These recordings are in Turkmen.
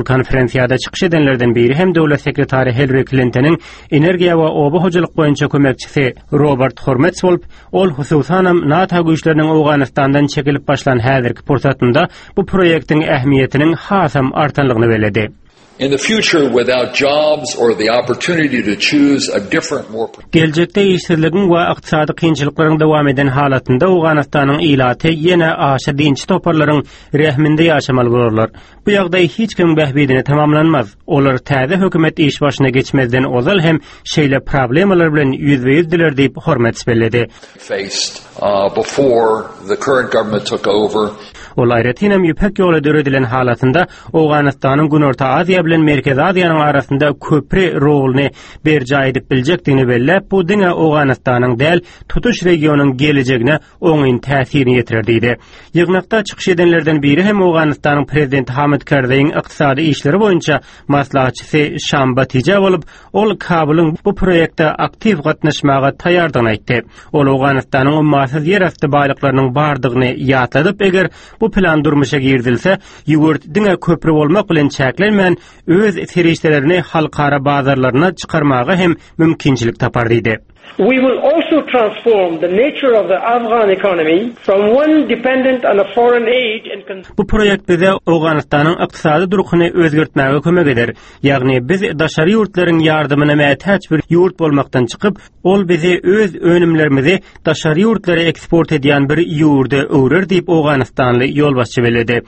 Konferensiýada çykyş edenlerden biri hem döwlet sekretary Hillari Klintonyň energiýa we oba hojalyk boýunça kömekçisi Robert Hormets bolup, ol hususanam NATO güýçleriniň Owganystandan çekilip başlan häzirki pursatynda bu proýektiň ähmiýetiniň hasam artanlygyny belledi. In the future, without jobs or the opportunity to choose a different, more Geljekde işsizligiň we ykdysady kynçylyklaryň dowam eden halatynda Owganystanyň ilaty ýene aşa dinçi toparlaryň rehiminde ýaşamaly bolarlar. Bu ýagdaý hiç kimiň bähbidine tamamlanmaz. Olar täze hökümet iş başyna geçmezden ozal hem şeýle problemalar bilen ýüzbe-ýüzdiler diýip, Hormets belledi. Uh, before the current government took over. Ol aýratynam Ýüpek ýoly döredilen halatynda Owganystanyň Günorta Aziýa bilen Merkezi Aziýanyň arasynda köpri roluny berjaý edip biljekdigini belläp, bu diňe Owganystanyň däl, tutuş regionyň gelejegine oňyn täsirini ýetirer diýdi. Ýygnakda çykyş edenlerden biri hem Owganystanyň prezidenti Hamid Karzaýyň ykdysady işleri boýunça maslahatçysy Şam Batija bolup, ol Kabulyň bu proýekte aktiw gatnaşmaga taýýardygyny aýtdy. Ol Owganystanyň ummasyz ýerasty baýlyklarynyň bardygyny ýatladyp, eger bu plan durmuşa girizilse, ýurt diňe köpri bolmak bilen çäklenmän, öz serişdelerini halkara bazarlaryna çykarmaga hem mümkinçilik tapar diýdi. We will also transform the nature of the Afghan economy from one dependent on a foreign aid and Bu proýekt bize Owganystanyň ykdysady durkuny özgertmäge kömek eder. Ýagny biz daşary ýurtlaryň ýardamyna mätäç bir ýurt bolmakdan çykyp, ol bizi öz önümlerimizi daşary ýurtlara eksport edýän bir ýurda öwrer diýip, owganystanly ýolbaşçy belledi.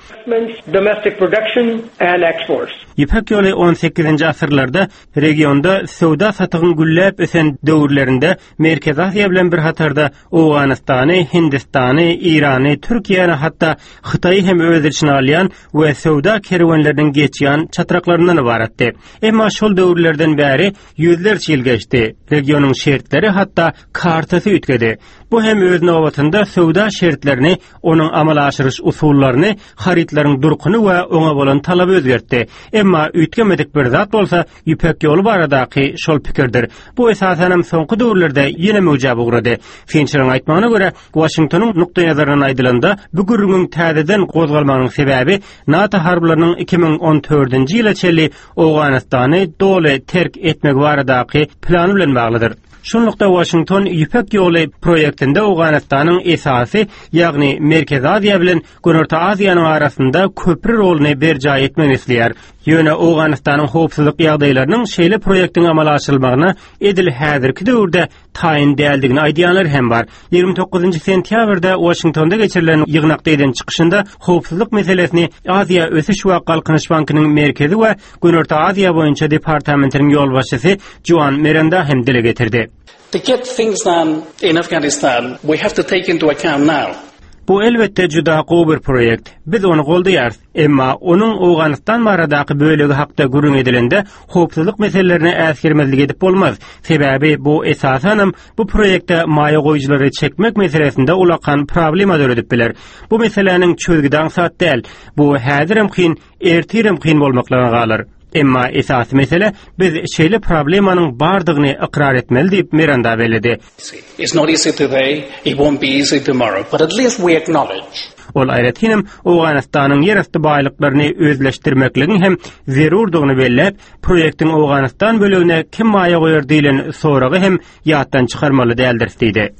domestic production and exports. Ýüpek ýoly on sekizinji asyrlarda Regionda söwda-satygyň gülläp ösen döwürlerinde Merkezi Aziýa bilen bir hatarda Owganystany, Hindistany, Eýrany, Türkiýäni hatda Hytaýy hem öz içine alýan we söwda kerwenleriniň geçýän çatraklaryndan ybaratdy. Emma şol döwürlerden bäri ýüzlerçe ýyl geçdi. Regionyň şertleri hatda kartasy üýtgedi. Bu hem öz nobatynda söwda şertlerini onuň amala aşyryş usullaryny, harytlaryň durkuny we oňa bolan talaby özgertdi. Emma üýtgemedik bir zat bolsa Ýüpek ýoly baradaky şol pikirdir. Bu esasanam soňky döwürlerde ýene möwjäp ugrady. Synçylaryň aýtmagyna görä, Waşingtonyň nukdaýnazaryndan aýdylanda, bu gürrüňiň täzeden gozgalmagynyň sebäbi NATO harbylarynyň 2014-nji ýyla çenli Owganystany doly terk etmegi baradaky plany bilen baglydyr. Şunlukda Waşington Ýüpek ýoly proýektinde Owganystanyň esasy, ýagny Merkezi Aziýa bilen Günorta Aziýanyň arasynda köpri roluny berjaý etmegini isleýär. Ýöne Owganystanyň howpsuzlyk ýagdaýlarynyň şeýle proýektiň amala aşyrylmagyna edil häzirki döwürde taýyn däldigini aýdýanlar hem bar. 29 sentýabrda Waşingtonda geçirilen ýygnakda eden çykyşynda howpsuzlyk meselesini Aziýa ösüş we galkynyş bankynyň Merkezi we Günorta Aziýa boýunça departamentiniň ýolbaşçysy Juan Miranda hem dile getirdi. To get things done in Afghanistan, we have to take into account now. Bu elbetde juda gowy bir proýekt. Biz ony goldaýarys. Emma onuň Owganystan baradaky bölegi hakda gürrüň edilende, howpsuzlyk meselelerine äsgermezlik edip bolmaz. Sebäbi bu esasanam bu proýekte maýa goýujylary çekmek meselesinde ulakan problema döredip biler. Bu meseläniň çözgüdi aňsat däl. Bu häzirem kyn, ertirem kyn bolmaklyga galar. Emma esasy mesele biz şeýle problemanyň bardygyny ykrar etmeli diýip Miranda belledi. It's not easy today, it won't be easy tomorrow, but at least we acknowledge. Ol aýratynam Owganystanyň ýerasty baýlyklaryny özleşdirmekligiň hem zerurdygyny belläp, proýektiň Owganystan bölegine kim maýa goýar diýlen soragy hem ýatdan çykarmaly däldiris diýdi.